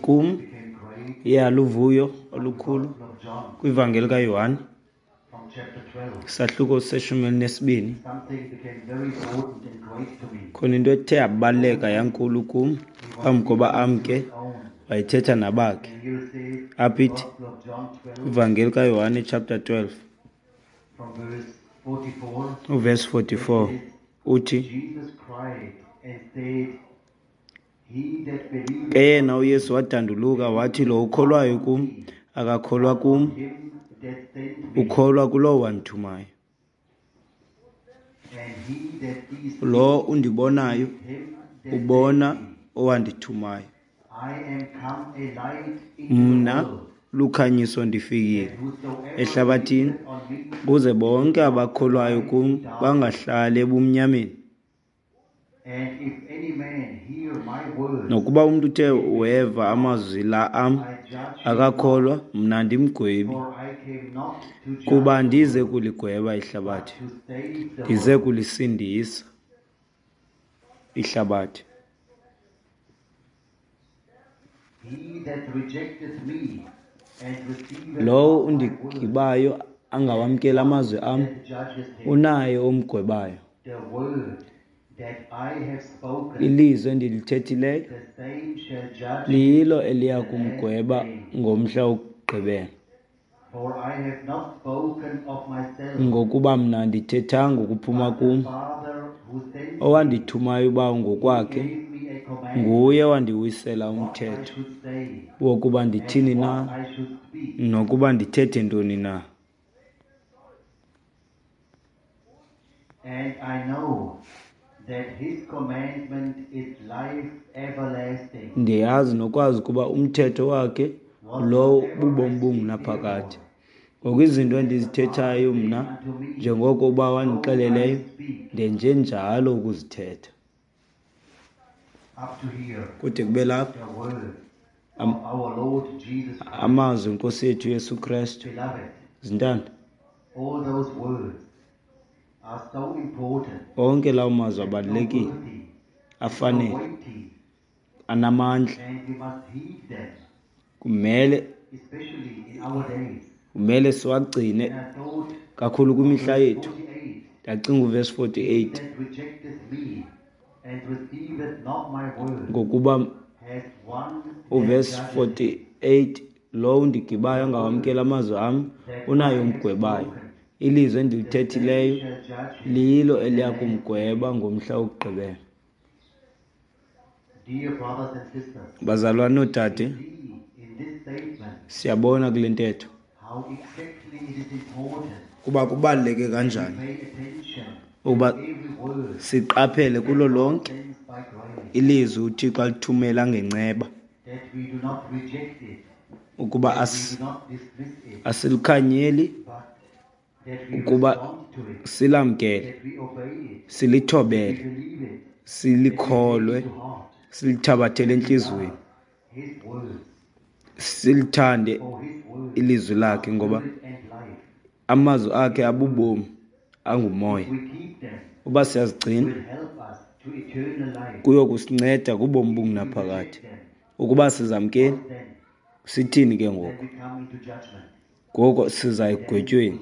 Kum iyaluvuyo olukhulu kwivangeli kaYohane isahluko seshumi elinesibini. Khona into ethe yabaluleka yankulu kum phambi koba amke wayethetha nabakhe. Apha ithi ivangeli kaYohane chapter 12 uvesi 44 uthi ke yena uYesu wadanduluka wathi lo ukholwayo kum akakholwa kum ukholwa kulowo wandithumayo. Lo undibonayo ubona owandithumayo. Mna lukhanyiso ndifikile ehlabathini ukuze bonke abakholwayo kum bangahlali ebumnyameni. Nokuba umntu uthe weva amazwi la am akakholwa, mna andimgwebi, kuba andize kuligweba ihlabathi, ndize kulisindisa ihlabathi. Lowo undigibayo angawamkeli amazwi am, unaye omgwebayo. Ilizwi endilithethileyo lilo eliya kumgweba ngomhla wokugqibela. Ngokuba mna andithethanga ukuphuma kum, owandithumayo uBawo ngokwakhe nguye owandiwisela umthetho wokuba ndithini na nokuba ndithethe ntoni na. And I know that his commandment is life everlasting. Ndiyazi nokwazi ukuba umthetho wakhe lowo bubomi bungunaphakade. Ngoku izinto endizithethayo mna, njengoko uBawo wandixeleleyo, ndenjenjalo ukuzithetha. Kude kube lapha amazwi enkosi yethu Yesu Kristu. Zintanda. Onke lawo mazwi abalulekile, afanele, anamandla. Kumele siwagcine kakhulu kwimihla yethu. Ndacinga uvesi 48 ngokuba uvesi 48 lowo undigibayo angawamkeli amazwi am unaye umgwebayo. Ilizwi endilithethileyo lilo eliya kumgweba ngomhla wokugqibela. Bazalwane noodade, siyabona kule ntetho kuba kubaluleke kanjani ukuba siqaphele kulo lonke ilizwi uThixo alithumela ngenceba, ukuba asilikhanyeli, ukuba silamkele, silithobele, silikholwe, silithabathele entliziyweni, silithande ilizwi lakhe, ngoba amazwi akhe abubomi, angumoya. Uba siyazigcina kuyokusinceda kubomi bungunaphakade. Ukuba sizamkeli, sithini ke ngoku? Ngoko siza ekugwetyweni,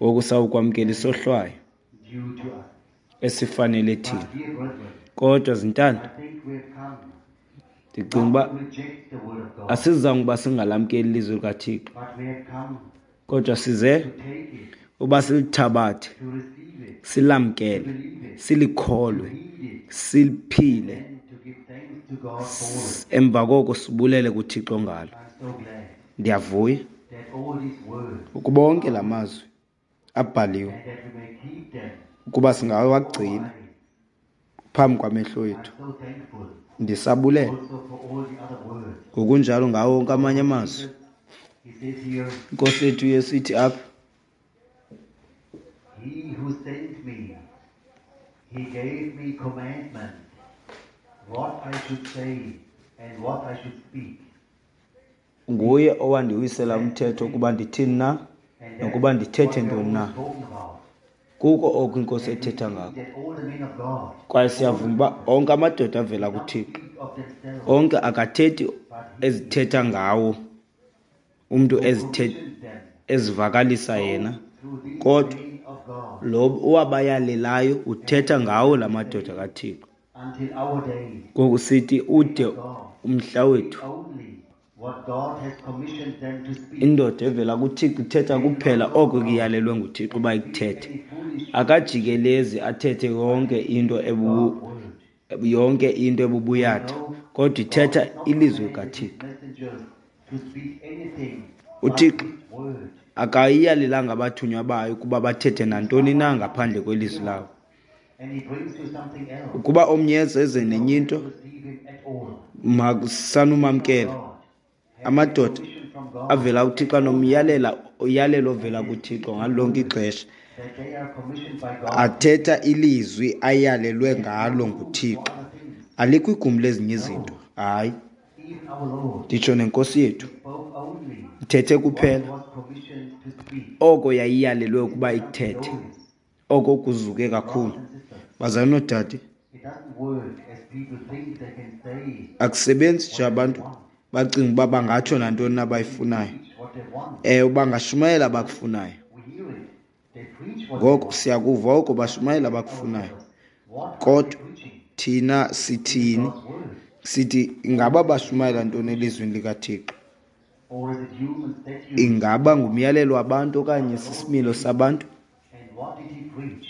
ngoku sawukwamkela isohlwayo esifanele thina. Kodwa zintanda, ndicinga uba asizange uba singalamkeli ilizwi likaThixo, kodwa size uba silithabathe, silamkele, silikholwe, siliphile, emva koko sibulele kuThixo ngalo. Ndiyavuya ukuba onke la mazwi abhaliwe ukuba singawagcina phambi kwamehlo ethu. Ndisabulela ngokunjalo ngawo wonke amanye amazwi. Inkosi yethu Yesu ithi apha, He who sent me, he gave me commandment, what I should say and what I should speak. Nguye owandiwisela umthetho ukuba ndithini na nokuba ndithethe ntoni na. Kuko oku iNkosi ethetha ngako. Kwaye siyavuma uba onke amadoda avela kuThixo of themselves, Onke akathethi but he ezithetha ngawo umntu who ezithe commissioned them ezivakalisa yena, through these kodwa men of God lo owabayalelayo uthetha ngawo la madoda kaThixo. until our day. Ngoku sithi ude God umhla wethu. only what God has commissioned them to speak. Indoda evela kuThixo ithetha kuphela oko kuyalelwe nguThixo uba ikuthethe. Any foolish Akajikelezi athethe yonke into God word. yonke into ebubuyatha, kodwa ithetha ilizwi likaThixo. Messengers to speak anything but UThixo his word. akayiyalelanga abathunywa bayo ukuba bathethe nantoni na ngaphandle kwelizwi lawo. And he brings you something else. Ukuba omnye eze nenye into, Receive him at all. masanumamkela. God has Amadoda commission from God avela kuThixo anomyalela uyalelo ovela kuThixo ngalo lonke ixesha. that they are commissioned by God Athetha ilizwi ayalelwe ngalo nguThixo. for other things. Alikho igumbi lezinye izinto. Hayi, Even our Lord nditsho nenkosi yethu spoke only ithethe what kuphela was commissioned to speak. oko yayiyalelwe ukuba ikuthethe, Notice, oko kuzuke kakhulu. brothers and sisters, Bazalwane noodade, it doesn't work as people think they can say akusebenzi nje abantu bacinga uba bangatsho nantoni na abayifunayo. preach what they want. Ewe, bangashumayela abakufunayo. We hear it. They preach what they Ngoko want. siyakuva oko bashumayela abakufunayo. What are they Kodwa preaching? thina sithini? God's word. Sithi ingaba bashumayela ntoni elizwini likaThixo? Or is it human statutes? Ingaba ngumyalelo wabantu okanye sisimilo sabantu? And what did he preach?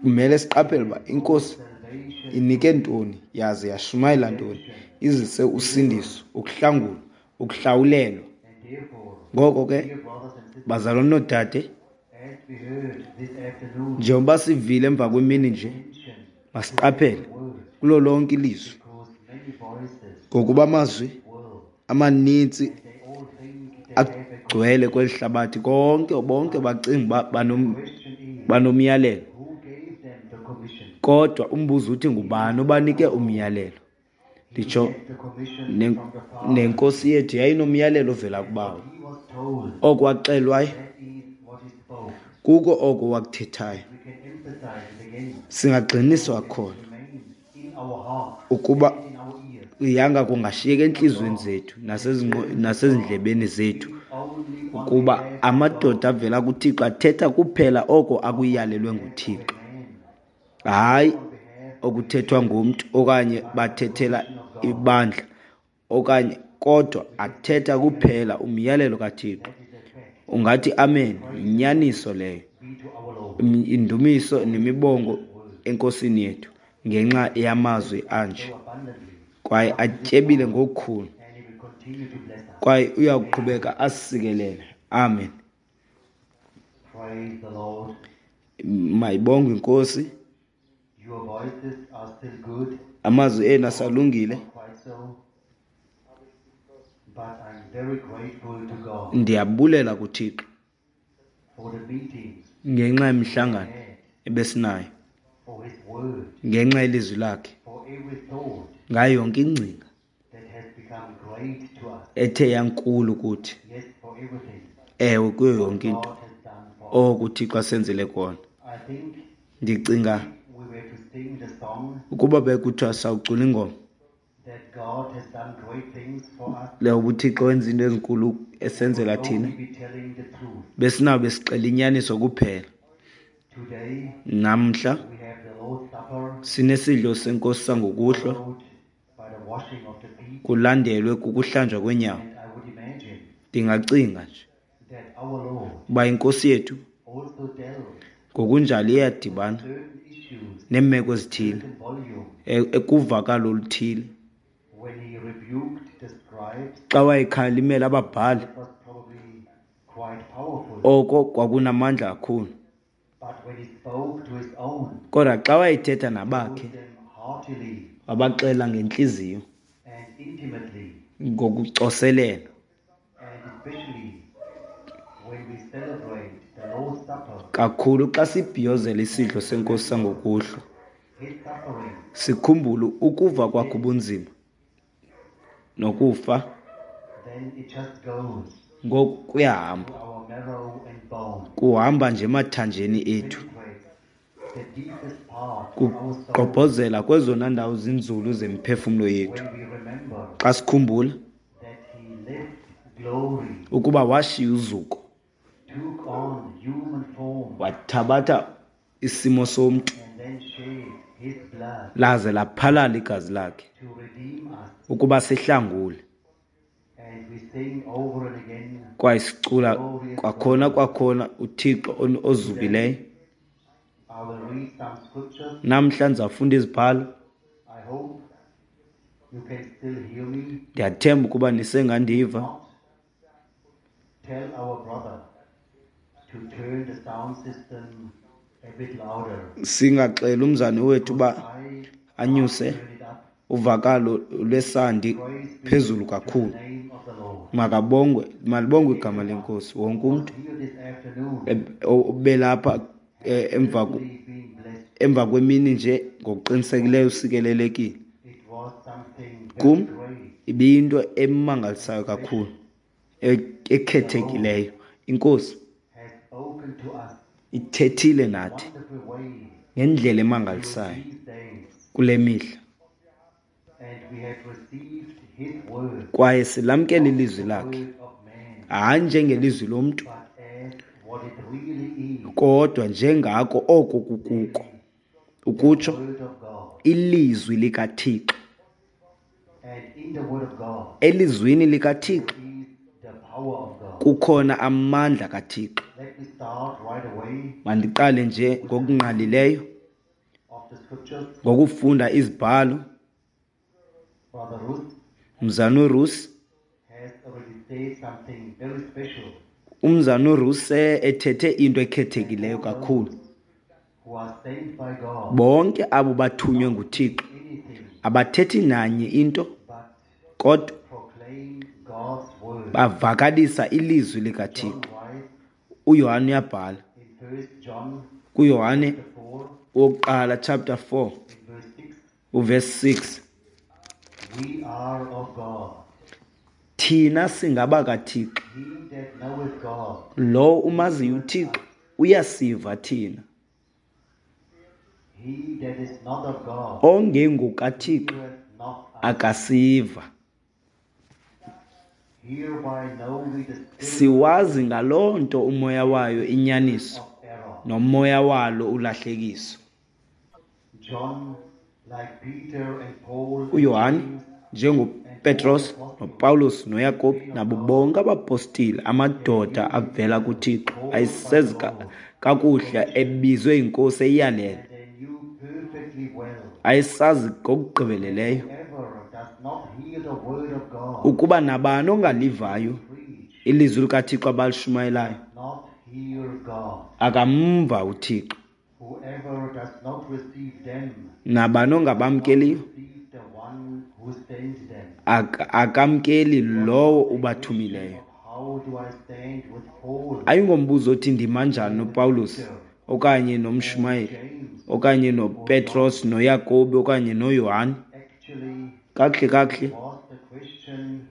Kumele siqaphele uba inkosi Salvation, inike ntoni yaze yashumayela ntoni, izise usindiso, ukuhlangulwa, ukuhlawulelwa. and therefore, Ngoko ke dear brothers and sisters, bazalwane noodade, as we heard this afternoon, njengoba sivile emva kwemini nje, attention masiqaphele to the word, kulo lonke ilizwi, because many voices ngokuba amazwi world, amanintsi and they all think they have a agcwele kweli hlabathi. Konke bonke bacinga uba question is, banomyalelo, who gave them the commission? kodwa umbuzo uthi ngubani obanike umyalelo? Nditsho He had the commission from the Father. nenkosi yethu yayinomyalelo ovela kubawo. He was told Oko waxelwayo that is what he spoke. kuko oko wakuthethayo. We can emphasize it again. Singagxiniswa khona Remains in our heart ukuba and in our ears. yanga kungashiyeka entliziyweni zethu nasezindlebeni zethu Only on ukuba behalf of amadoda avela kuThixo athetha kuphela oko akuyalelwe nguThixo, man, hayi on behalf okuthethwa ngumntu okanye bathethela ibandla okanye, kodwa athetha kuphela umyalelo kaThixo. that is a fact. Ungathi amen, yinyaniso leyo. Be to our Lord. Indumiso nemibongo enkosini yethu ngenxa yamazwi anje, So abundantly, kwaye atyebile ngokukhulu, and he will continue to bless us. kwaye uyakuqhubeka asisikelele. Amen. Praise the Lord. Mayibongwe inkosi. Your voices are still good, Amazwi enu asalungile. not quite so. But I'm very grateful to God Ndiyabulela kuThixo for the meetings ngenxa yemihlangano had, ebesinayo, for His word, ngenxa yelizwi lakhe, for every thought ngayo yonke ingcinga that has become great to us. ethe yankulu kuthi. Yes, for everything Ewe, kuyo yonke into God has done for us. oko uThixo asenzele kona. I think Ndicinga we were to sing the song ukuba bekuthiwa sawucula ingoma that God has done great things for us. leyo uThixo wenza into ezinkulu esenzela thina, Only be telling the truth. besinawube besixela inyaniso kuphela. Today Namhla we have the Lord's Supper sinesidlo senkosi sangokuhlwa, followed by the washing of the feet. kulandelwe kukuhlanjwa kweenyawo. And I would imagine Ndingacinga nje that our Lord uba inkosi yethu also dealt ngokunjalo iyadibana certain issues, neemeko ezithile certain volume, ekuvakalo oluthile. when he rebuked the scribes. Xa wayekhalimela ababhali, That was probably quite powerful. oko kwakunamandla kakhulu. But when he spoke to his own, Kodwa xa wayethetha told nabakhe, them heartily wabaxela ngentliziyo, and intimately, ngokucoselela. and especially when we celebrate the Lord's Supper, Kakhulu xa sibhiyozela isidlo senkosi sangokuhlwa, his suffering, sikhumbule ukuva kwakhe ubunzima nokufa. then it just goes Ngoku kuyahamba, to our marrow and bone, kuhamba nje emathanjeni ethu, penetrates the deepest part of our soul Kugqobhozela kwezona ndawo zinzulu zemiphefumlo yethu when we remember xa sikhumbula that he left glory, ukuba washiya uzuko, took on human form, wathabatha isimo somntu, and then shed his blood laze laphalala igazi lakhe to redeem us. ukuba sihlangule. And we sing over and again, Kwaye sicula kwakhona kwakhona uThixo ozukileyo. I will read some scriptures. Namhla ndizawufunda izibhalo. I hope you can still hear me. Ndiyathemba ukuba nisengandiva. Not tell our brother to turn the sound system a bit louder. Singaxela umzane wethu uba I anyuse turn it up. uvakalo lwesandi Praise be phezulu to the kakhulu. name of the Lord. Makabongwe, malibongwe igama lenkosi. Wonke umntu Here this afternoon, obelapha really been blessed. emva kwemini nje ngokuqinisekileyo usikelelekile. It was something very Kum great. ibiyinto emangalisayo kakhulu, ekhethekileyo. Inkosi Has opened to us ithethile nathi wonderful way ngendlela emangalisayo these days, kule mihla, and we have received his word, kwaye silamkele ilizwi lakhe, word of man, hayi njengelizwi lomntu, but as what it really is, kodwa njengako oko kukuko, ukutsho word of God. ilizwi likaThixo. And in the word of God Elizwini likaThixo is the power of God. kukhona amandla kaThixo. Let me start right away Mandiqale nje ngokungqalileyo of the scriptures. ngokufunda izibhalo. Brother Ruth Mzana uRusi, has already said something very special. umzana uRusi ethethe into ekhethekileyo kakhulu. Who are sent by God, Bonke abo bathunywe nguThixo anything abathethi nanye into, but kodwa proclaim God's word. bavakalisa ilizwi John likaThixo. writes uYohane uyabhala in 1 John kuYohane 4, wokuqala chapter 4 in verse 6, uverse 6, we are of God. thina singabakaThixo. He that knoweth God Lo umaziyo uThixo uyasiva thina. He that is not of God OngengokaThixo heareth not us. akasiva. Hereby know we the spirit Siwazi ngaloo nto umoya wayo inyaniso, of error. nomoya walo ulahlekiso. John, like Peter and Paul and uYohane James, njengoPetros noPawulos noYakobi nabo bonke abapostile, amadoda avela kuThixo ayisezi kakuhle ebizwe yinkosi eyalele, and they knew perfectly well ayesazi ngokugqibeleleyo whoever does not hear the word of God ukuba nabani ongalivayo preach ilizwi likaThixo abalishumayelayo not hear God. akamva uThixo. Whoever does not receive them Nabani ongabamkeliyo receive the one who sent them. akamkeli lowo ubathumileyo. How do I stand with Paul, Ayingombuzo othi ndima njani noPawulos okanye nomshumayeli James? okanye noPetros noYakobi okanye noYohane. Actually, Kakuhle kakuhle was the question,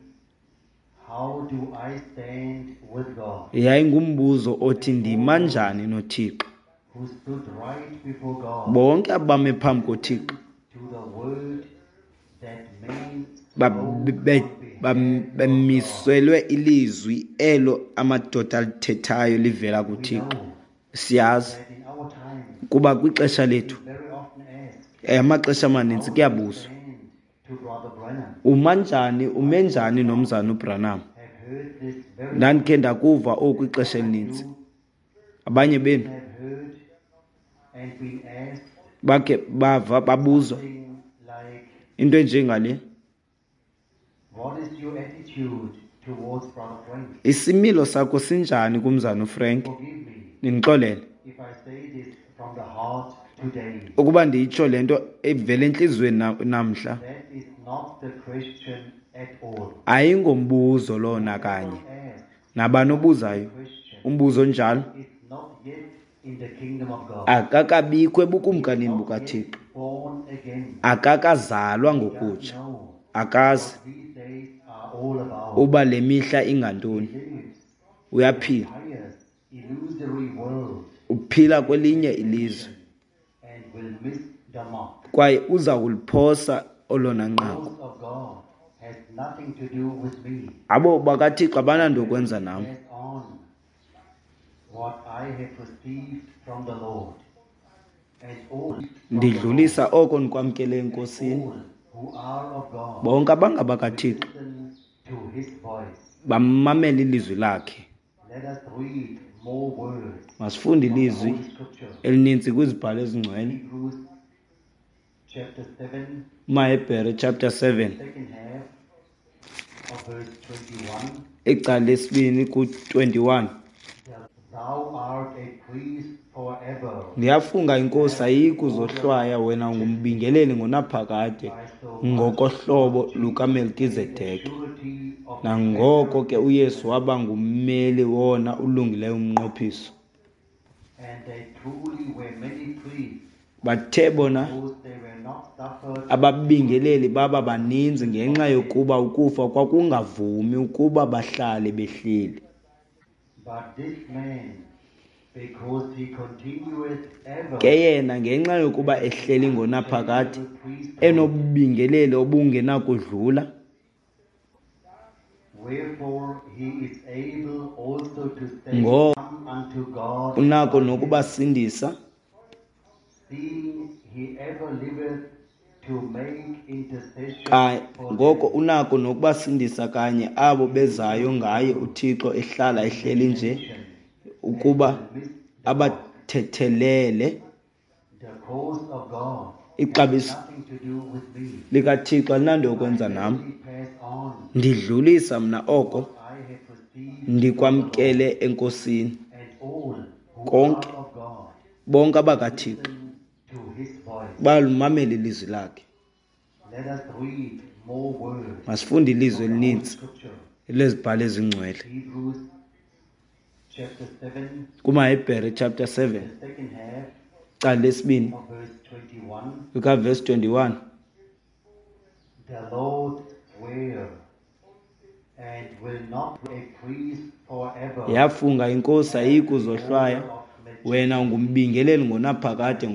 how do I stand with God, yayingumbuzo othi ndima njani noThixo. who stood right before God Bonke abame phambi koThixo to the word that man spoke on behalf of God. bamiselwe ilizwi elo amadoda alithethayo livela We kuThixo. know Siyazi that in our time, kuba kwixesha lethu, we very often ask, amaxesha amaninzi kuyabuzwa, stand to Brother Branham. uma njani, ume njani nomzana uBranham? Have heard this very Ndandikhe ndakuva oku ixesha elininzi. Abanye benu have heard and been asked bakhe bava babuzwa something like, into enjengale, what is your attitude towards Brother Frank? isimilo sakho sinjani kumzana uFrank? Forgive me Nindixolele if I say this from the heart today. ukuba ndiyitsho le nto evela entliziyweni namhla. That is not the question at all. Ayingombuzo lona kanye. Ask Nabani obuzayo question umbuzo onjalo is not yet in the kingdom of God. akakabikho ebukumkanini Not bukaThixo, yet born again. akakazalwa Doesn't ngokutsha, know akazi what these days are all about. uba le mihla ingantoni. He lives Uyaphila, in a illusory world uphila kwelinye ilizwe Kwaye uza kuliphosa olona nqaku. Abo bakaThixo abananto kwenza nam. Ndidlulisa oko ndikwamkele eNkosini. Bonke abangabakaThixo bamamela ilizwi lakhe. Masifunde ilizwi elininzi kwizibhalo ezingcwele. MaHebhere chapter 7, icala lesibini ku-21. Ndiyafunga iNkosi ayikuzohlwaya wena ungumbingeleli ngonaphakade ngokohlobo lukaMelkizedeki. Nangoko ke uYesu waba ngummeli wona ulungileyo umnqophiso. Bathe bona ababingeleli baba baninzi ngenxa yokuba ukufa kwakungavumi ukuba bahlale behleli. Ke yena ngenxa yokuba ehleli ngonaphakade enobubingeleli obungenakudlula, ngoko unako nokubasindisa ngoko unako nokubasindisa kanye abo bezayo ngaye uThixo ehlala ehleli nje ukuba abathethelele. Ixabiso likaThixo alinanto yokwenza nam. Ndidlulisa mna oko ndikwamkele eNkosini. Konke, bonke abakaThixo balumamela ilizwi lakhe. Masifunde ilizwi elininzi lezibhalo ezingcwele. KumaHebhere chapter 7, cala lesibini likaverse 21. The Lord sware and will not a priest forever. Yafunga iNkosi ayikuzohlwaya wena ungumbingeleli ngonaphakade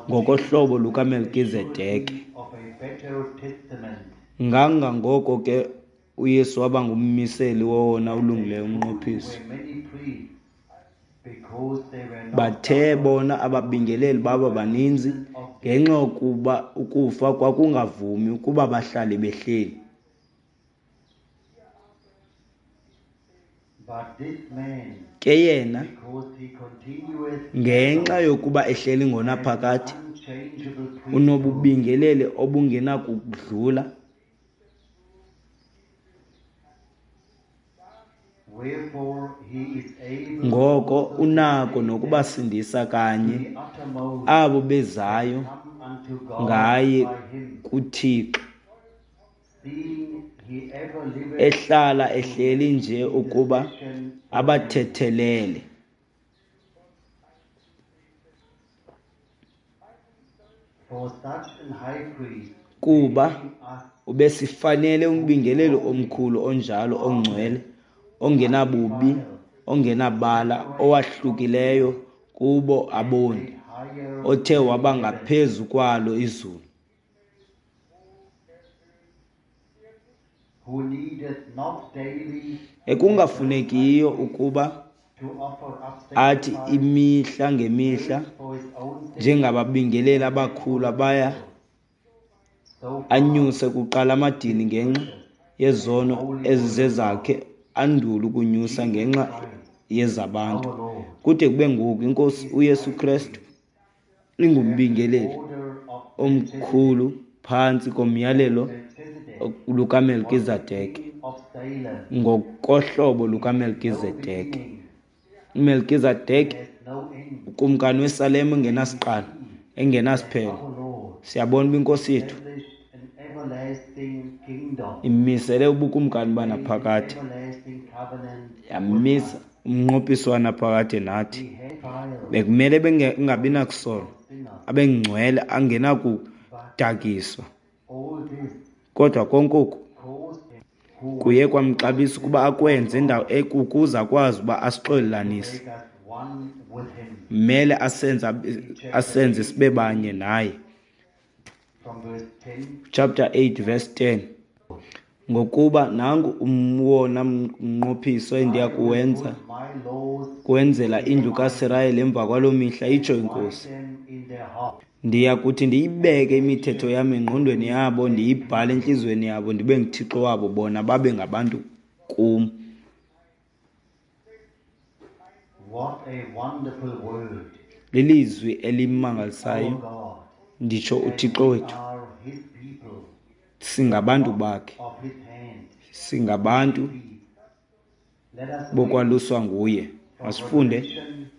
ngokohlobo lukaMelkizedeki. Ngangangoko ke uYesu waba ngummiseli wowona ulungileyo umnqophiso. Bathe bona ababingeleli baba baninzi ngenxa yokuba ukufa kwakungavumi ukuba bahlale behleli. Ke yena ngenxa yokuba ehleli ngonaphakade unobubingeleli obungenakudlula. Ngoko unako nokubasindisa kanye abo bezayo ngaye kuThixo, ehlala ehleli nje ukuba abathethelele. Kuba ubesifanele umbingeleli omkhulu onjalo ongcwele, ongenabubi, ongenabala, owahlukileyo kubo aboni, othe waba ngaphezu kwalo izulu. Ekungafunekiyo ukuba athi imihla ngemihla njengababingeleli abakhulu abaya anyuse kuqala amadini ngenxa yezono ezizezakhe, andule ukunyusa ngenxa yezabantu. Kude kube ngoku iNkosi uYesu Kristu ingumbingeleli omkhulu phantsi komyalelo lukaMelkizedeki, ngokohlobo lukaMelkizedeki. uMelkizedeki ukumkani weSalem engenasiqalo engenasiphelo. Siyabona uba iNkosi yethu imisele ubukumkani banaphakade, yamisa umnqophiso wanaphakade nathi. Bekumele bengabi nakusolwa, abengcwele angenakudakiswa. Kodwa konke oku kuye kwamxabisa ukuba akwenze indawo ukuze akwazi uba asixolelanise. Mele asenze sibe banye naye. Chapter 8 verse 10. Ngokuba nangu umwona mnqophiso endiya kuwenza kuwenzela indlu kaSirayeli emva kwaloo mihla, itsho iNkosi. Ndiya kuthi ndiyibeke imithetho yam engqondweni yabo, ndiyibhale entliziyweni yabo, ndibe nguThixo wabo, bona babe ngabantu kum. Lilizwi elimangalisayo, nditsho uThixo wethu. Singabantu bakhe, singabantu bokwaluswa nguye. Masifunde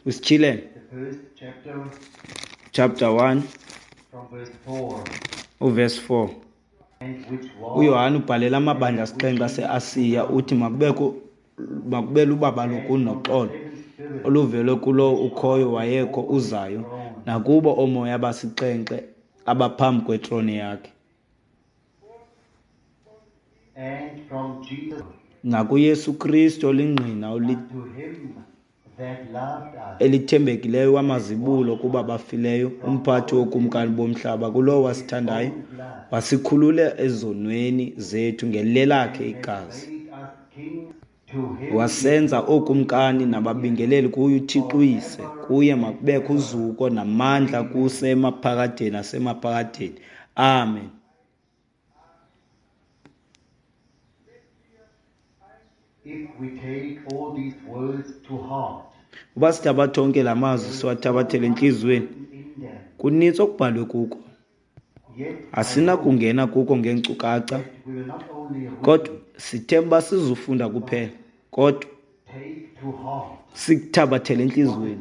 kwiSityhilelo chapter 1 uverse 4. UYohane ubhalela amabandla asixhenxe aseAsiya, uthi makube lubabalo kuni noxolo oluvele kulowo ukhoyo, wayekho, uzayo, nakubo oomoya abasixhenxe abaphambi kwetrone yakhe. NakuYesu Kristu olingqina elithembekileyo wamazibulo kuba bafileyo, umphathi wokumkani bomhlaba, kulowo wasithandayo wasikhulula ezonweni zethu ngelelakhe igazi, wasenza ookumkani nababingeleli kuye uThixo uYise. Kuye makubekho uzuko namandla kuse emaphakadeni nasemaphakadeni. Amen. Uba sithabatha onke la mazwi siwathabathele entliziyweni, kunintsi okubhalwe kuko. Asinakungena kuko ngeenkcukacha, kodwa sithemba sizufunda kuphela, kodwa sikuthabathele entliziyweni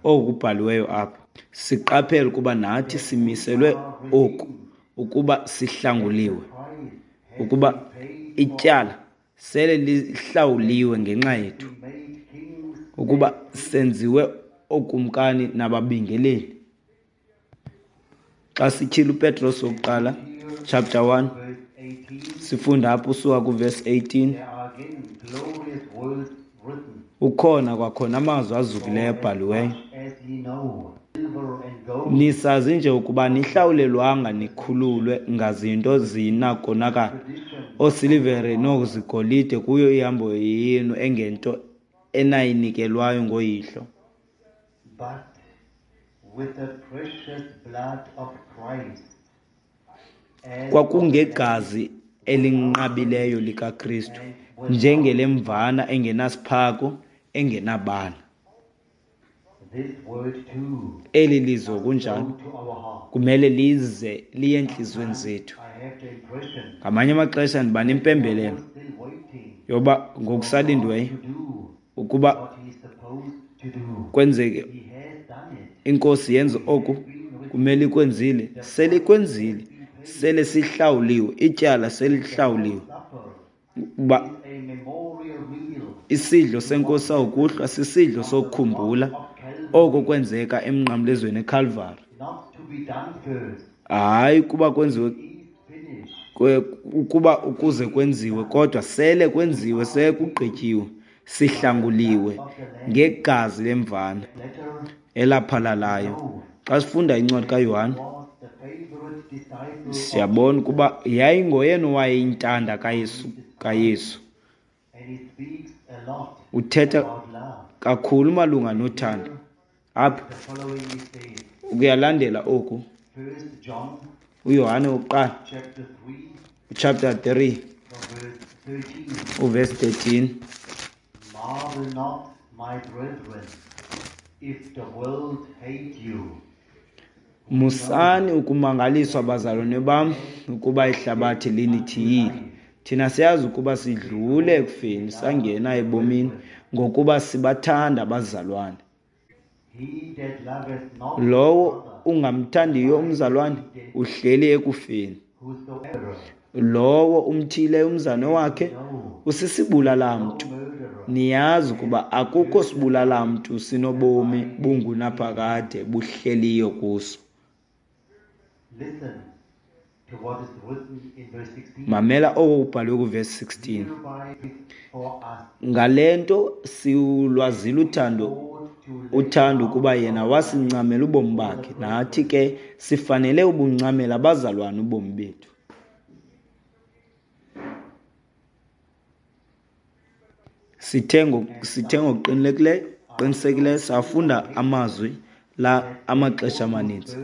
oku kubhaliweyo apha. Siqaphele ukuba nathi simiselwe oku, ukuba sihlanguliwe, ukuba ityala sele lihlawuliwe ngenxa yethu, ukuba senziwe ookumkani nababingeleli. Xa sityhila uPetros wokuqala chapter 1, sifunda apho usuka kuverse 18, ukhona kwakhona amazwi azukileyo abhaliweyo. Nisazi nje ukuba nihlawulelwanga nikhululwe ngazinto zinakonakala, oosilivere noozigolide, kuyo ihambo yenu engento enayinikelwayo ngoyihlo. Kwakungegazi elinqabileyo likaKristu, njengelemvana engenasiphako engenabala. Eli lizwi kunjalo kumele lize liye entliziyweni zethu. Ngamanye amaxesha ndiba nempembelelo yoba ngokusalindiweyo ukuba kwenzeke iNkosi yenze oku kumele ikwenzile, selikwenzile, sele sihlawuliwe, ityala selihlawuliwe. Uba isidlo seNkosi sawukuhlwa sisidlo sokukhumbula oko kwenzeka emnqamlezweni eKalvari. Hayi kuba kwenziwe ukuba ukuze kwenziwe, kodwa sele kwenziwe, sekugqityiwe, sihlanguliwe ngegazi lemvana elaphalalayo. Xa sifunda incwadi kaYohane siyabona ukuba yayingoyena owayeyintanda kaYesu. Uthetha kakhulu malunga nothando. Apha kuyalandela oku uYohane wokuqala chapter 3 uverse 13. Marvel not, my brethren, if the world hate you. Musani ukumangaliswa, bazalwane bam, ukuba ihlabathi linithiyile. Thina siyazi ukuba sidlule ekufeni sangena ebomini, ngokuba sibathanda abazalwane. Lowo ungamthandiyo umzalwane uhleli ekufeni. Lowo umthiyileyo umzalwane wakhe usisibulala-mntu. Niyazi ukuba akukho sibulala-mntu sinobomi bungunaphakade buhleliyo kuso. Mamela oko kubhalwe kuverse 16. Ngale nto siwulwazile uthando uthando kuba yena wasincamela ubomi bakhe, nathi ke sifanele ubuncamela abazalwane ubomi bethu. Sithe ngokuqinisekileyo safunda amazwi la amaxesha amaninzi.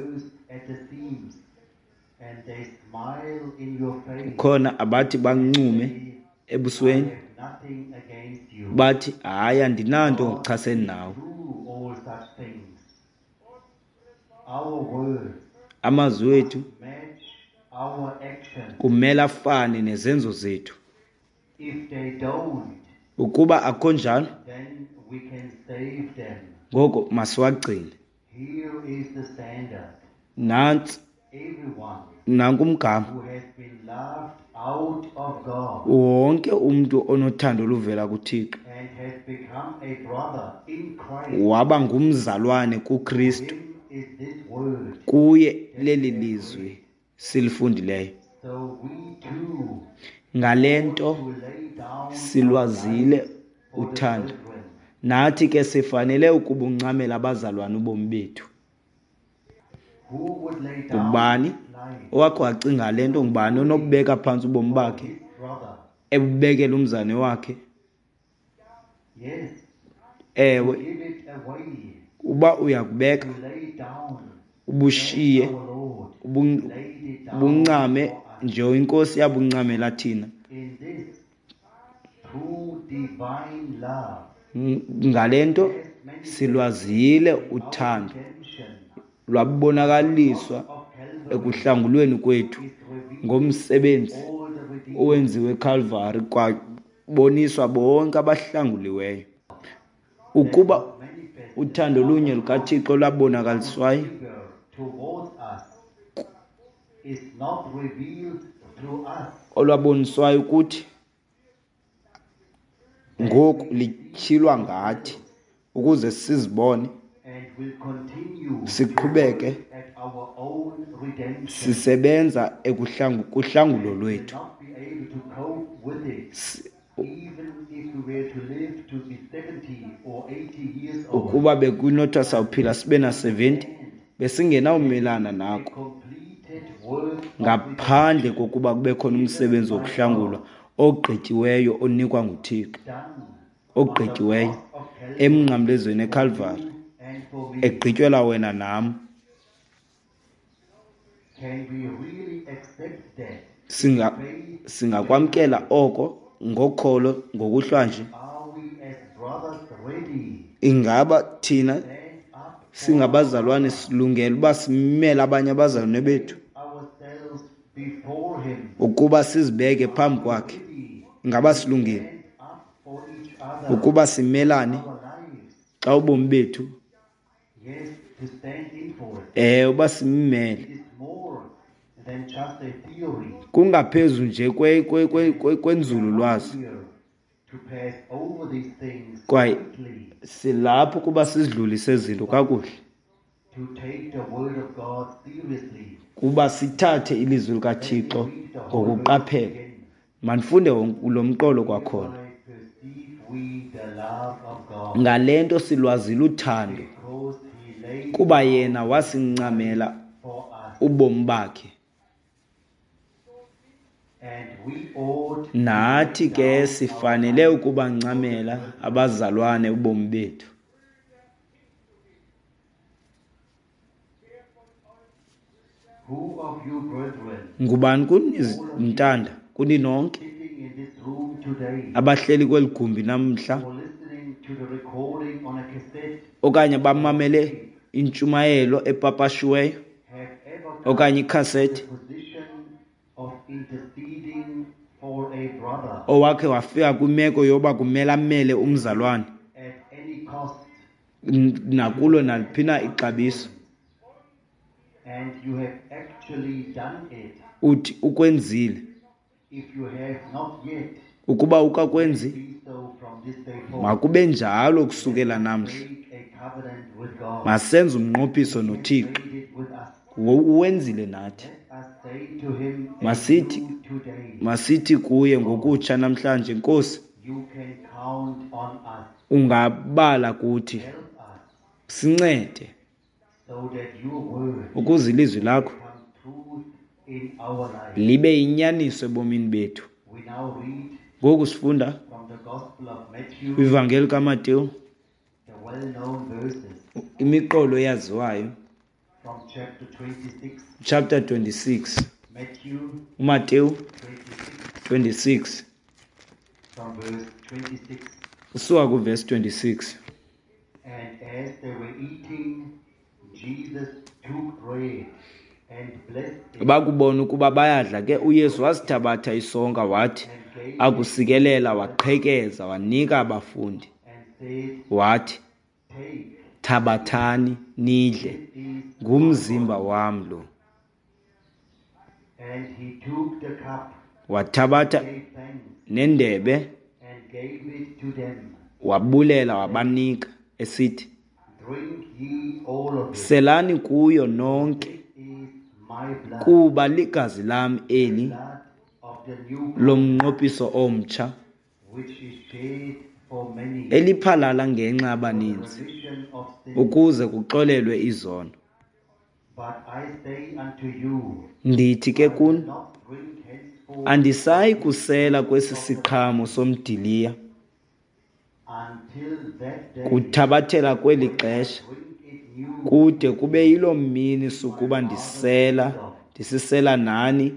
Khona abathi bancume ebusweni bathi, hayi, andinanto ngokuchasene nawe. Amazwi wethu kumele afane nezenzo zethu. Ukuba akho njalo, ngoko masiwagcine. Nantsi nanku umgama. Wonke umntu onothando oluvela kuThixo waba ngumzalwane kuKristu, kuye leli lizwi silifundileyo. Ngale nto silwazile uthando, nathi ke sifanele ukubuncamela abazalwane ubomi bethu. Ngubani owakho wacinga le nto? Ngubani onokubeka phantsi ubomi bakhe ebubekela umzane wakhe? Ewe, uba uyakubeka ubushiye ubuncame nje iNkosi yabuncamela thina. Ngale nto silwazile uthando lwabonakaliswa ekuhlangulweni kwethu ngomsebenzi owenziwe eCalvary, kwaboniswa bonke abahlanguliweyo. Ukuba uthando lunye lukaThixo lwabonakaliswayo olwaboniswayo ukuthi ngoku lityhilwa ngathi ukuze sizibone siqhubeke sisebenza kuhlangulo lwethu. Ukuba bekunothwa sawuphila sibe na 70, besingenawumelana nako ngaphandle kokuba kube khona umsebenzi wokuhlangulwa ogqityiweyo onikwa nguThixo, ogqityiweyo emnqamlezweni eCalvary, egqityelwa wena nam. Singakwamkela oko ngokholo ngokuhlwanje? Ingaba thina singabazalwane silungele uba simele abanye abazalwane bethu ukuba sizibeke phambi kwakhe? Ingaba silungile ukuba simelane xa ubomi bethu, uba simmele? Kungaphezu nje kwenzululwazi. Kwaye silapho kuba sizidlulise izinto kakuhle, kuba sithathe ilizwi likaThixo ngokuqaphela. Mandifunde lo mqolo kwakhona. Ngale nto silwazile uthando, kuba yena wasincamela ubomi bakhe, nathi ke sifanele ukubancamela abazalwane ubomi bethu. Ngubani kuni ntanda, kuni nonke abahleli kweli gumbi namhla okanye bamamele intshumayelo epapashiweyo okanye ikhasethi, owakhe wafika kwimeko yoba kumele amele umzalwane nakulo naliphi na ixabiso? Uthi ukwenzile. Ukuba ukakwenzi, makube njalo kusukela namhla. Masenze umnqophiso noThixo. Uwenzile nathi. Masithi kuye ngokutsha namhlanje, Nkosi, ungabala kuthi. Sincede so that your word ukuze ilizwi lakho become truth in our life. libe yinyaniso ebomini bethu. We now read Ngoku sifunda from the Gospel of Matthew, kwivangeli kaMateyu, the well-known verses imiqolo eyaziwayo, from chapter 26, chapter 26, Matthew uMateyu 26, 26, from verse 26. usuka kuvesi 26. And as they were eating, Jesus took bread and blessed it Bakubona ukuba bayadla ke, uYesu wasithabatha isonka, wathi and gave it akusikelela waqhekeza, wanika abafundi, and said, wathi, "Take, thabathani nidle, this is ngumzimba wam lo. And he took the cup, Wathabatha gave thanks, nendebe, and gave it to them. wabulela, wabanika, esithi, Drink ye all of it. selani kuyo nonke, This is my blood, kuba ligazi lam eli blood of the new covenant, lomnqophiso omtsha, which is shed for many eliphalala ngenxa for the yabaninzi, remission of sins. ukuze kuxolelwe izono. But I say unto you, Ndithi ke I will kuni, not drink henceforth andisayi kusela kwesi siqhamo somdiliya until that day kuthabathela kweli when I xesha, drink it new kude kube yiloo mini sukuba ndisisela nani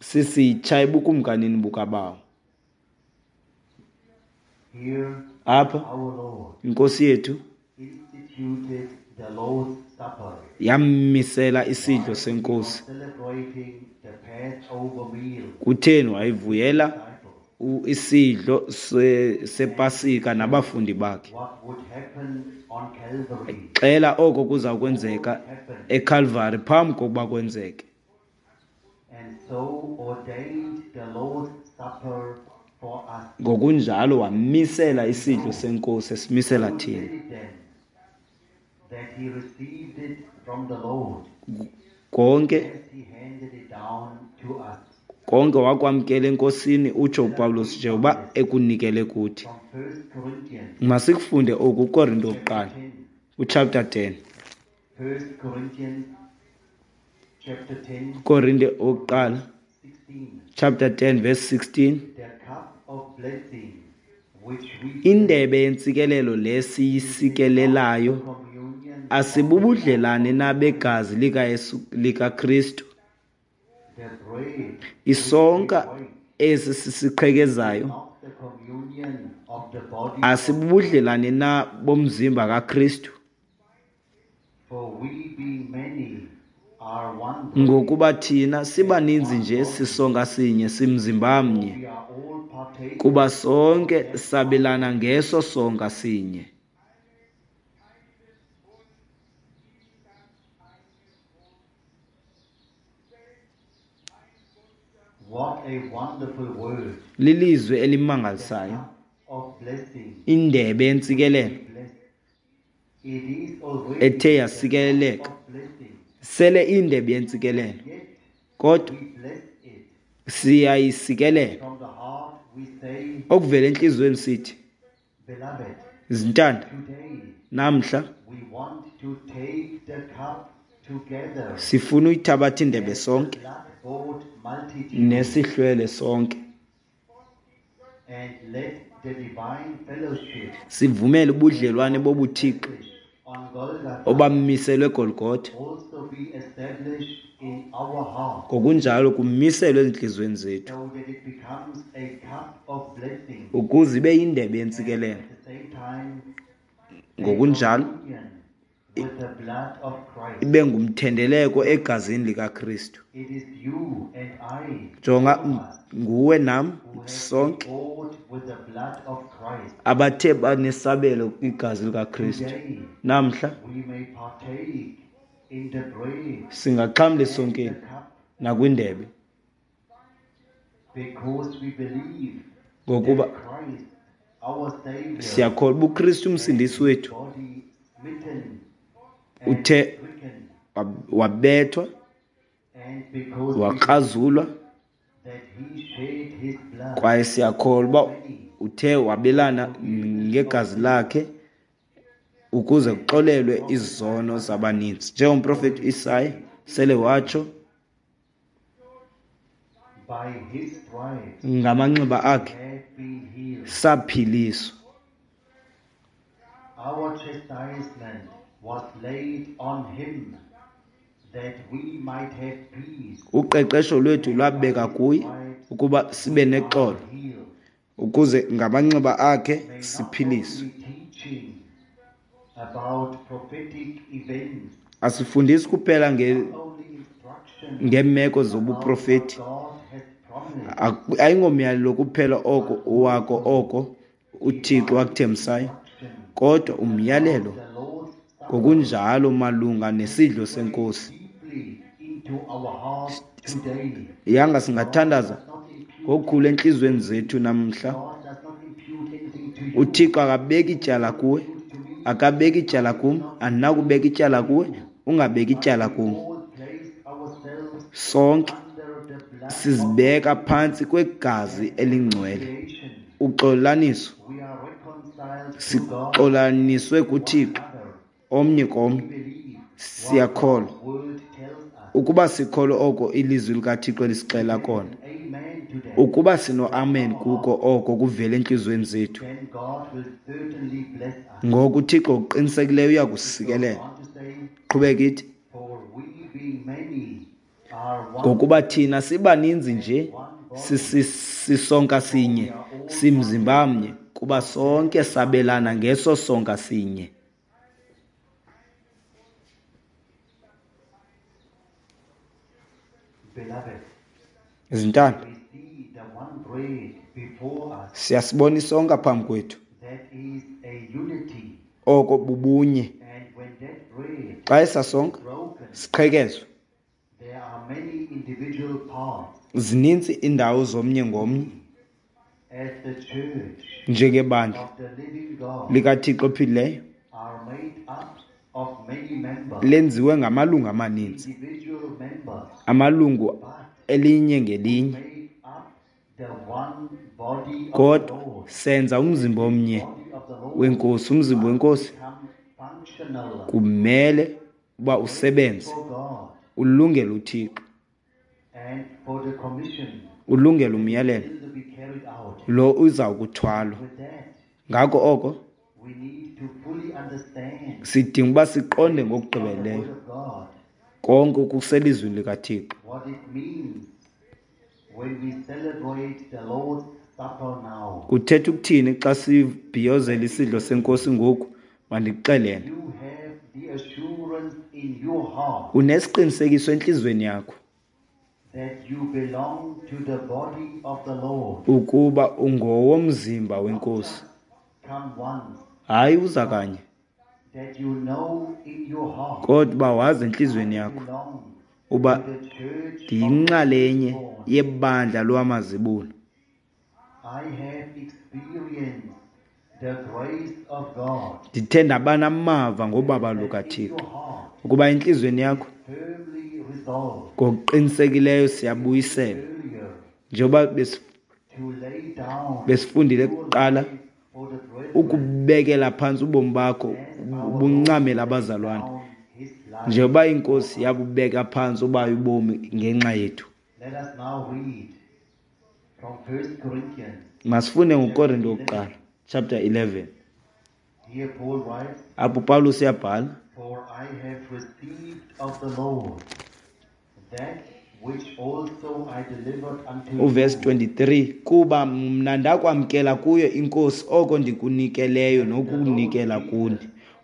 sisitsha ebukumkanini bukaBawo. Here Apha our Lord inkosi yethu instituted the Lord's Supper yammisela isidlo while he was senkosi. celebrating the Passover meal Kutheni wayivuyela disciples. isidlo sePasika nabafundi bakhe? What would happen on Calvary Xela oko kuza kwenzeka happened, eCalvary phambi kokuba kwenzeke. and so ordained the Lord's Supper for us. Ngokunjalo wamisela isidlo senkosi esimisela Paul thina. said it then, that he received it from the Lord Konke as he handed it down to us. konke wakwamkela enkosini, utsho uPawulos, njengoba ekunikele kuthi. From 1 Corinthians Masikufunde oku kuKorinto chapter wokuqala, 10. uchapter 10. 1 Corinthians chapter 10, Korinte wokuqala, 16. chapter 10 verse 16. The cup of blessing which we Indebe yentsikelelo le siyisikelelayo communion asibubudlelane na begazi likaYesu likaKristu? the bread Isonka esi sisiqhekezayo not the communion of the body, asibubudlelane na bomzimba kaKristu? for we being many are one bread, Ngokuba thina sibaninzi nje sisonka sinye, simzimba mnye, we are all partakers kuba sonke sabelana ngeso sonka sinye. What a wonderful word Lilizwi elimangalisayo, of blessing. indebe yentsikelelo Blessed. It is already ethe the yasikeleleka. cup of blessing, Sele indebe yentsikelelo, yet kodwa we bless it. siyayisikelela. From the heart we say, Okuvela entliziyweni sithi, Beloved, zintanda, today namhla we want to take the cup together sifuna uyithabatha indebe as the sonke blood-bought multitude nesihlwele sonke, and let the divine fellowship sivumele ubudlelwane bobuthixo established on Golgotha obamiselwe eGolgotha also be established in our heart, ngokunjalo kumiselwe ezintliziyweni zethu, so that it becomes a cup of blessing ukuze ibe yindebe and yentsikelelo, at the same time a ngokunjalo communion with the blood of Christ. ibe ngumthendeleko egazini likaKristu. It is you and I, Jonga, all of us, nguwe nam who have been sonke bought with the blood of Christ. abathe banesabelo kwigazi likaKristu. Today Namhla we may partake in the bread singaxhamla and the esonkeni cup nakwindebe, because we believe ngokuba that Christ, our Savior, siyakholwa uba uKristu umsindisi wethu body smitten and uthe stricken, wabethwa, and because we wakrazulwa, that he shed his blood kwaye siyakholwa uba many uthe wabelana ngegazi lakhe Ukuze kuxolelwe izono zabaninzi. Njengomprofeti Isaya sele watsho, By his stripes ngamanxeba akhe have been healed. saphiliswa. Our chastisement was laid on him that we might have peace. Uqeqesho lwethu lwabeka kuye ukuba sibe nexolo, Healed. ukuze ngamanxeba akhe May not siphiliswe. only teaching about prophetic events, Asifundisi kuphela only instruction ngeemeko about what zobuprofeti. God has promised, Ayingomyalelo kuphela oko wako oko uThixo wakuthembisayo, kodwa umyalelo the Lord's Supper ngokunjalo malunga nesidlo senkosi. deeply into our hearts today. Yanga singathandaza Not impute, ngokukhulu entliziyweni zethu namhla. God does not impute anything to you. UThixo akabeki ityala kuwe, akabeki ityala kum, andinakubeka ityala kuwe, ungabeki ityala kum. All place ourselves Sonke under the blood sizibeka phantsi kwegazi elingcwele. creation. Uxolaniso, We are reconciled to God sixolaniswe kuThixo another. omnye komnye. We believe Siyakholwa word tells us. ukuba sikholwa oko ilizwi likaThixo lisixela kona. Amen to that. Ukuba sino-amen kuko oko kuvela entliziyweni zethu, Then God will certainly bless us. ngoku uThixo ngokuqinisekileyo uyakusikelela. Want to say, Qhubeka ithi, for we being many are one ngokuba thina sibaninzi nje sisonka sinye, simzimba mnye, kuba sonke sabelana ngeso sonka sinye. Beloved, Zintanda, we see the one bread before us siyasibona isonka phambi kwethu, that is a unity. oko bubunye. And when that bread Xa esasonka is broken, siqhekezwe, there are many individual parts. Zininzi iindawo zomnye ngomnye. As the church Njengebandla of the living God likaThixo ophilileyo are made up of many members, lenziwe ngamalungu amaninzi, individual members, amalungu but elinye ngelinye, make up the one body of the kodwa Lord. senza umzimba omnye Body of the Lord wenkosi. Umzimba wenkosi become functional kumele uba usebenze, for God ulungele uThixo, and for the commission ulungele umyalelo still to be carried out. lo uza kuthwalwa. With that, Ngako oko we need to fully understand sidinga uba siqonde the ngokugqibeleleyo word of God, konke okuselizwini likaThixo, what it means when we celebrate the Lord's Supper now. Kuthetha ukuthini xa sibhiyozela isidlo senkosi ngoku? Mandikuxelele, You have the assurance in your heart unesiqinisekiso entliziyweni yakho that you belong to the body of the Lord. ukuba ungowomzimba wenkosi. Come once, Hayi uza kanye, that you know in your heart kodwa uba wazi entliziyweni yakho belong uba to the church of ndiyinxalenye the Lord. yebandla lwamazibulo. I have experienced the grace of God. Ndithe ndaba namava ngobaba That in lukaThixo your heart ukuba entliziyweni yakho firmly resolved ngokuqinisekileyo siyabuyisela, earlier njengoba to lay down besifundile your kuqala, life for the brethren ukubekela phantsi ubomi bakho buncamela abazalwane, down his life. njengoba inkosi yabubeka phantsi obayo ubomi ngenxa yethu. Let us now read from 1 Corinthians. Masifunde ngoKorinto wokuqala chapter 11. Here Paul writes, Apho uPawulos uyabhala, For I have received of the Lord that which also I delivered unto uvesi you, 23, kuba mna ndakwamkela kuyo inkosi oko ndikunikeleyo nokunikela kuni,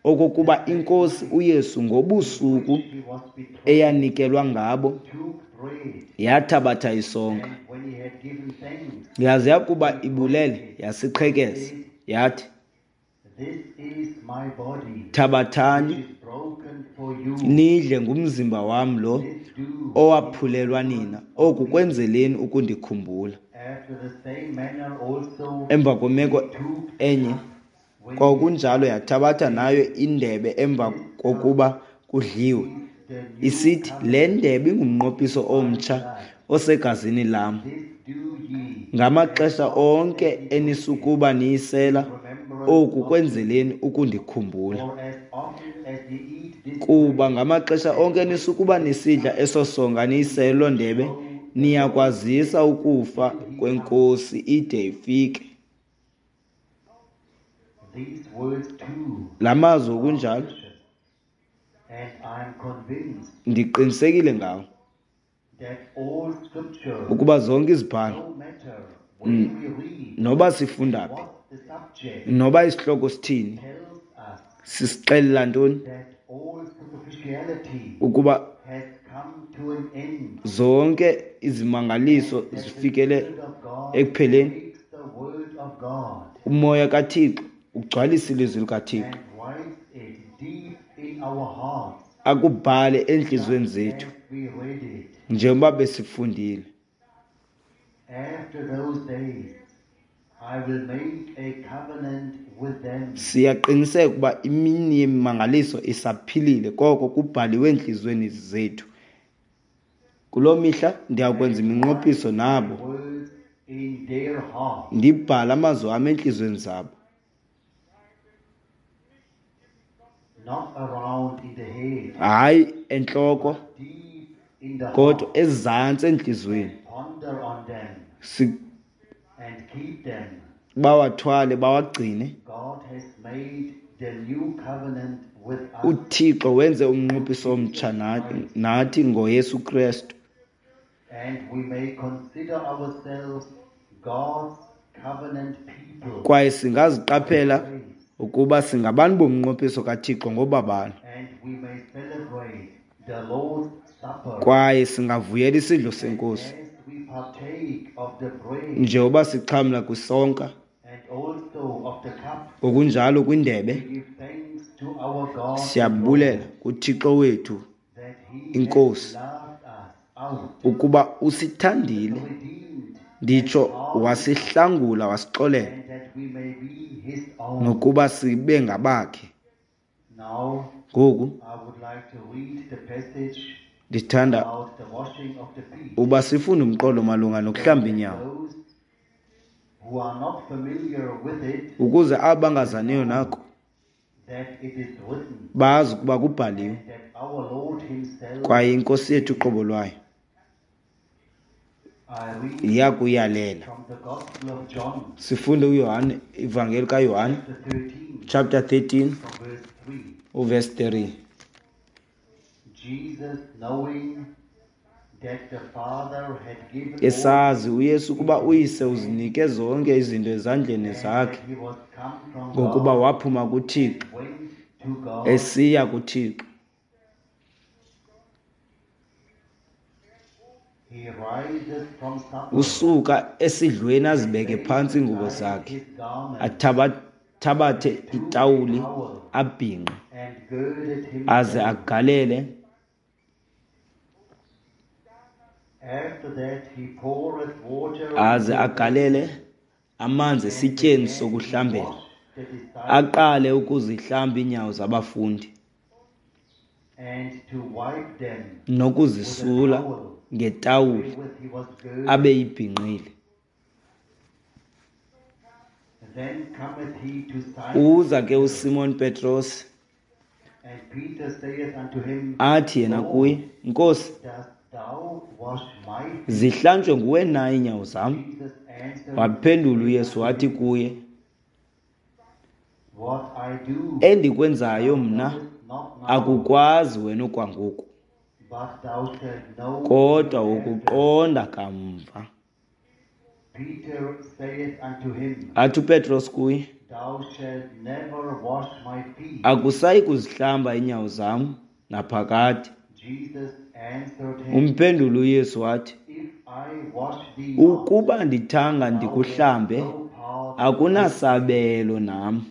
okokuba inkosi uYesu ngobusuku which he was betrayed, eyanikelwa ngabo took bread, yathabatha isonka, and when he had given thanks, yaze yakuba ibulele yasiqhekeza, yathi, This is my body, thabathani which is broken for you. nidle, ngumzimba wam lo This do owaphulelwa nina, oku kwenzeleni ukundikhumbula. after the same manner also Emva kwemeko took enye when kwakunjalo yathabatha nayo indebe emva kokuba kudliwe, the new isithi, le ndebe ingumnqophiso omtsha osegazini lam. This do ye Ngamaxesha onke enisukuba niyisela, remembrance Oku kwenzeleni ukundikhumbula. Kuba ngamaxesha onke nisukuba nisidla eso sonka niyisele loo ndebe, niyakwazisa ukufa kweNkosi ide ifike. La mazwi okunjalo ndiqinisekile ngawo ukuba zonke izibhalo, noba sifunda phi, noba isihloko sithini, sisixelela ntoni ukuba zonke izimangaliso zifikele ekupheleni. Umoya kaThixo ugcwalisa ilizwi likaThixo, akubhale entliziyweni zethu njengoba besifundile. Siyaqiniseka ukuba imini yemimangaliso isaphilile, koko kubhaliwe entliziyweni zethu. Kuloo mihla ndiyakwenza iminqophiso nabo, ndibhale amazwi am entliziyweni zabo. Hayi entloko, kodwa ezantsi entliziyweni. Bawathwale, bawagcine. UThixo wenze umnqophiso omtsha nathi ngoYesu Kristu. Kwaye singaziqaphela ukuba singabantu bomnqophiso kaThixo ngobabalo. Kwaye singavuyela isidlo seNkosi njengoba sixhamla kwisonka, ngokunjalo kwindebe. Siyabulela kuThixo wethu iNkosi ukuba usithandile, nditsho wasihlangula, wasixolela, nokuba sibe ngabakhe. Ngoku ndithanda uba sifunde umqolo malunga nokuhlamba iinyawo, ukuze abo bangazaniyo nako bazi ukuba kubhaliwe, kwaye iNkosi yethu uqobo lwayo iyakuyalela. Sifunde uYohane, ivangeli kaYohane chapter 13 uverse 3. Esazi uYesu ukuba uYise uzinike zonke izinto ezandleni zakhe, ngokuba waphuma kuThixo esiya kuThixo. Usuka esidlweni azibeke phantsi iingubo zakhe, athabathe itawuli abhinqe, aze agalele. Aze agalele amanzi esityeni sokuhlambela, aqale ukuzihlamba iinyawo zabafundi nokuzisula ngetawuli abeyibhinqile. Uza ke uSimon Petros, athi yena kuye, Nkosi, zihlanjwe nguwe na iinyawo zam? Waphendula uYesu wathi kuye, endikwenzayo mna akukwazi wena okwangoku, kodwa wokuqonda kamva. Athi uPetros kuye, akusayi kuzihlamba iinyawo zam naphakade. Umphendula uYesu wathi, ukuba ndithanga ndikuhlambe, akunasabelo nam.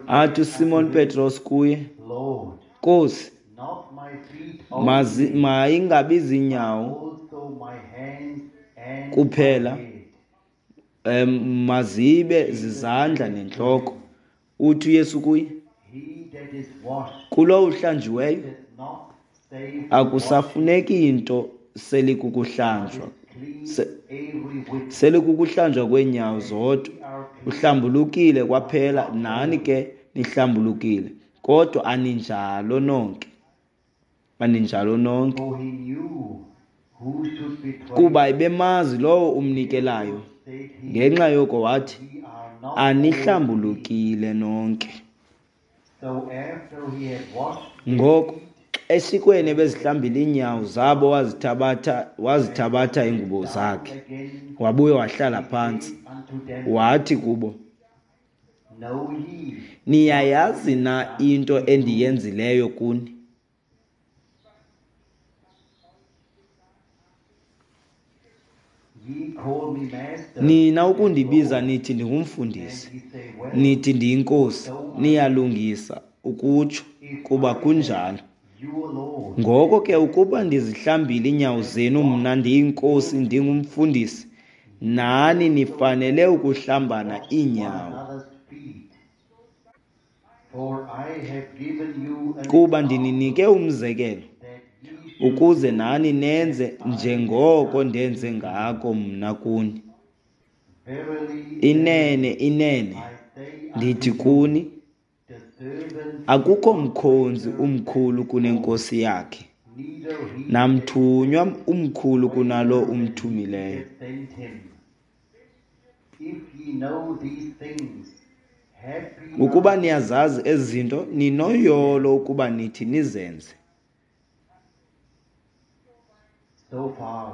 Athi uSimon Petros kuye, Nkosi, mayingabi ziinyawo kuphela, mazibe zizandla nentloko. Uthi uYesu kuye, kulowo uhlanjiweyo akusafuneki into selikukuhlanjwa, whit. Selikukuhlanjwa kweenyawo zodwa. Ye are clean, Uhlambulukile kwaphela, nani ke nihlambulukile, kodwa aninjalo nonke. Aninjalo nonke. For he knew who should betray Kuba him. ebemazi lowo umnikelayo. Said he, Ngenxa yoko wathi, Ye are not all clean. anihlambulukile nonke. So after he had washed their Ngoko feet esikweni ebezihlambile iinyawo zabo wazithabatha iingubo down zakhe, again, wabuya wahlala he phantsi. said unto them, Wathi kubo, Know ye niyayazi na into endiyenzileyo kuni? Ye call me master Nina and ukundibiza Lord, nithi ndingumfundisi, and ye say, Well, nithi ndiyinkosi, so I niyalungisa ukutsho, if kuba I then, kunjalo. your Lord Ngoko and ke ukuba ndizihlambile iinyawo have zenu, mna washed ndiyinkosi your feet, ndingumfundisi, nani ye also nifanele ukuhlambana wash one iinyawo. another's feet. For I have given you an Kuba ndininike example umzekelo, that ye should ukuze do nani nenze as I have njengoko done ndenze unto you. ngako mna kuni. Verily, Inene, verily, inene, I say unto ndithi you, kuni, the servant is akukho not mkhonzi greater than umkhulu his Lord, kunenkosi yakhe, neither he that is namthunywa sent umkhulu kunalo greater than he umthumileyo. that sent him. If ye know these things, happy Ukuba are ye niyazazi ezi zinto, if ye do ninoyolo them. ukuba nithi nizenze. So far,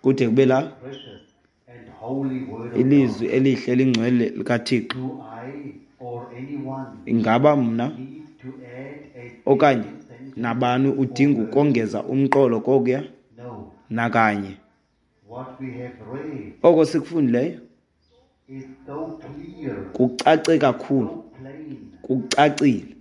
Kude kube la precious and holy word of ilizwi God. elihle elingcwele likaThixo. Do I or anyone Ingaba mna need to add a okanye single sentence nabani or udinga verse? ukongeza umqolo kokuya? No. Nakanye. What we have read Oko sikufundileyo is so clear, kucace kakhulu, so plain, kucacile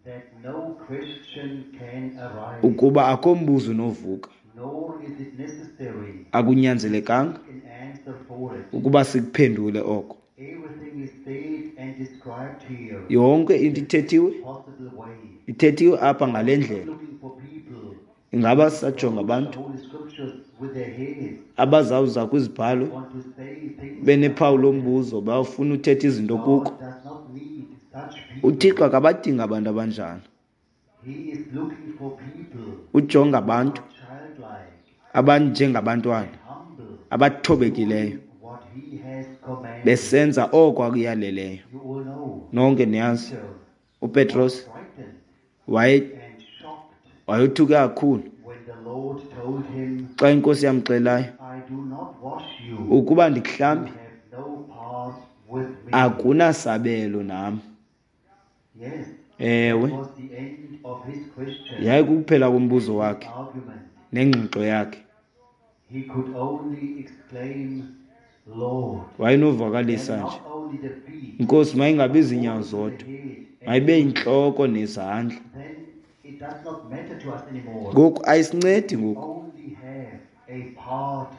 that no question can arise, ukuba akho mbuzo unovuka. nor is it necessary Akunyanzelekanga to seek an answer for it. ukuba sikuphendule oko. Everything is said and described here Yonke in into the best ithethiwe, possible way. ithethiwe apha ngale We are not ndlela. looking for people Ingaba who sisajonga quote the abantu Holy Scriptures with their heads, abazawuza kwizibhalo want to say things benephawu about them. lombuzo, bafuna uthetha izinto kuko. God does not need such people. UThixo akabadingi abantu abanjalo. He is looking for people Ujonga who abantu are childlike abanjengabantwana and humble, abathobekileyo, doing what he has commanded. besenza oko akuyaleleyo. You all know Nonke niyazi Peter was uPetros frightened and shocked wayothuke kakhulu when the Lord told him, xa inkosi yamxelayo I do not wash you, ukuba you ndikuhlambi have no part with me. akunasabelo nam. Yes, that Ewe, was the end of his question yayikukuphela kombuzo and his wakhe argument. nengxoxo yakhe. He could only exclaim, Lord, and Wayenovakalisa nje, not only the feet, Nkosi, mayingabi but ziinyawo also the zodwa, head and mayibe everything. yintloko nezandla. Then it does not matter to us anymore. Ngoku ayisincedi We ngoku, only have a part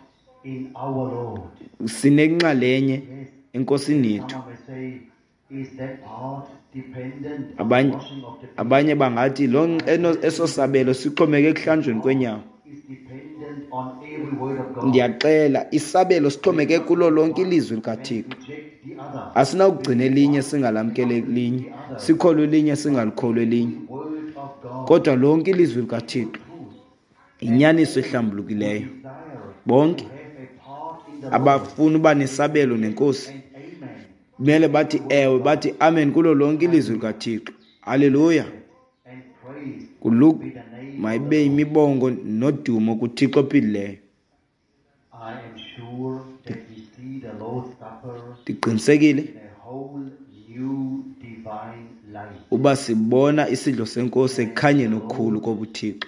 in our Lord. sinenxalenye Yes, enkosini yethu. someone may say, is that part dependent on the Abanye washing of the feet? abanye bangathi lo I tell eso you, sabelo sixhomeke the ekuhlanjweni part kweenyawo. is dependent on every word of God. Ndiyaxela, isabelo We sixhomeke must kulo take lonke one ilizwi and likaThixo. reject the other. Asinawugcina Believe elinye one and singalamkeli not believe elinye, the other. sikholwe elinye But singalikholwa elinye. every word of God Kodwa lonke ilizwi is likaThixo the truth. And yinyaniso all who ehlambulukileyo. desire to Bonke have a part in the Lord abafuna uba say nesabelo yes nenkosi and amen kumele to bathi every word ewe, of God. bathi amen kulo lonke ilizwi Hallelujah. likaThixo. Haleluya. Blessed and praised Kuluk be the name of the mayibe Lord. yimibongo nodumo kuThixo ophilileyo. I am sure that we see the Lord's Supper Ndiqinisekile in a whole new divine light. uba sibona isidlo senkosi And the ekukhanyeni okukhulu Lord kobuThixo.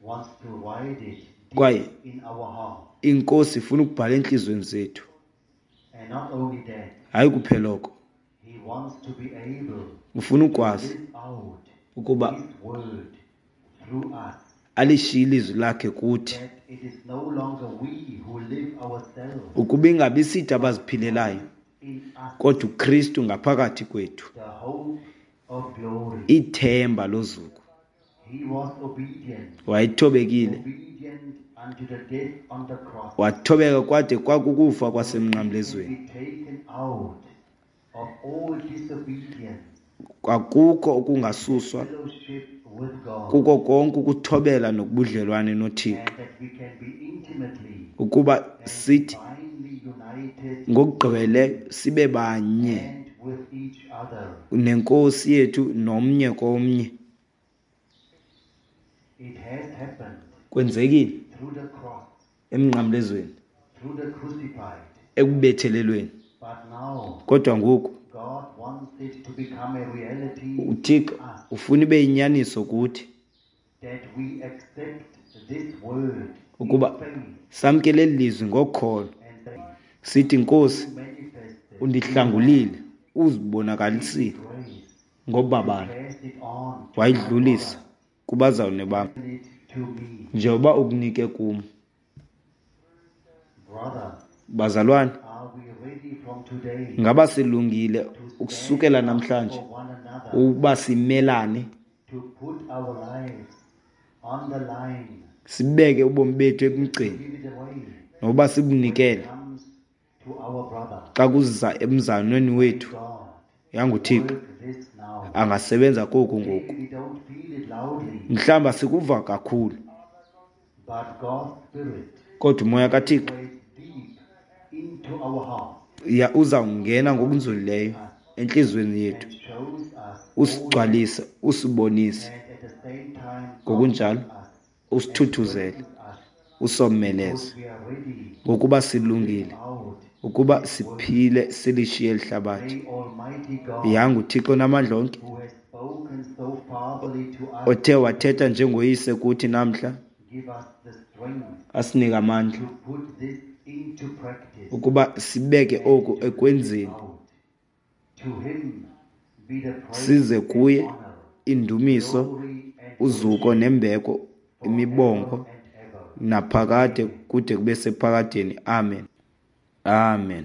wants to write it deep Kwaye in our heart. inkosi ifuna ukubhala entliziyweni zethu. And not only that, Hayi kuphela oko, He wants to be able ufuna to ukwazi live out ukuba His word through us. alishiye ilizwi lakhe kuthi, That it is no longer we who live ourselves, ukuba ingabi sithi but abaziphilelayo, Christ in us, kodwa uKristu ngaphakathi kwethu, the hope of glory. ithemba lozuko. He was obedient, Wayethobekile obedient unto the death on the cross. Wathobeka kwade kwakukufa Can kwasemnqamlezweni. be taken out of all disobedience, Kwakukho ukungasuswa fellowship with God, kuko konke ukuthobela nobudlelwane noThixo, and that we can be intimately ukuba and sithi divinely united ngokugqibele sibe banye and with each other. nenkosi yethu nomnye komnye. It has happened Kwenzekile through the cross, emnqamlezweni, through the crucified. ekubethelelweni. But now Kodwa ngoku God wants it to become a reality uThixo ufuna ibe yinyaniso kuthi, that we accept this word in ukuba faith samkele eli lizwi ngokholo, and say, sithi Nkosi, "You manifested undihlangulile, uzibonakalisile grace, ngobabalo, pass it on to my wayidlulisa kubazalwane bam brother, it to me." njengoba ukunike kum. Brother, Bazalwane, are we ready from today ngaba silungile to stand ukusukela up namhlanje for one another, ukuba simelane, to put our lives on the line, sibeke ubomi bethu emgceni, give it away nokuba sibunikele comes to our brother? xa kuza emzalwaneni wethu? God, YanguThixo work this now. angasebenza koku ngoku. Maybe we don't feel it loudly, Mhlawumbi asikuva kakhulu, but God's Spirit kodwa umoya kaThixo weighs deep into our hearts ya uzawungena ngokunzulileyo entliziyweni yethu, and shows us usigcwalise, usibonise, and at the same time ngokunjalo us, usithuthuzele, us, usomeleze, because we are ready ngokuba silungile out. ukuba siphile silishiye eli hlabathi. May Almighty God, Yanguthixo namandla onke, who has spoken so fatherly to us, othe wathetha njengoyise kuthi namhla, give us the strength asinike amandla to put this into practice. ukuba sibeke oku ekwenzeni, Out. To him be the praise size kuye and honor, indumiso, glory and uzuko nembeko, imibongo and ever. naphakade kude kube sephakadeni. Amen. Amen.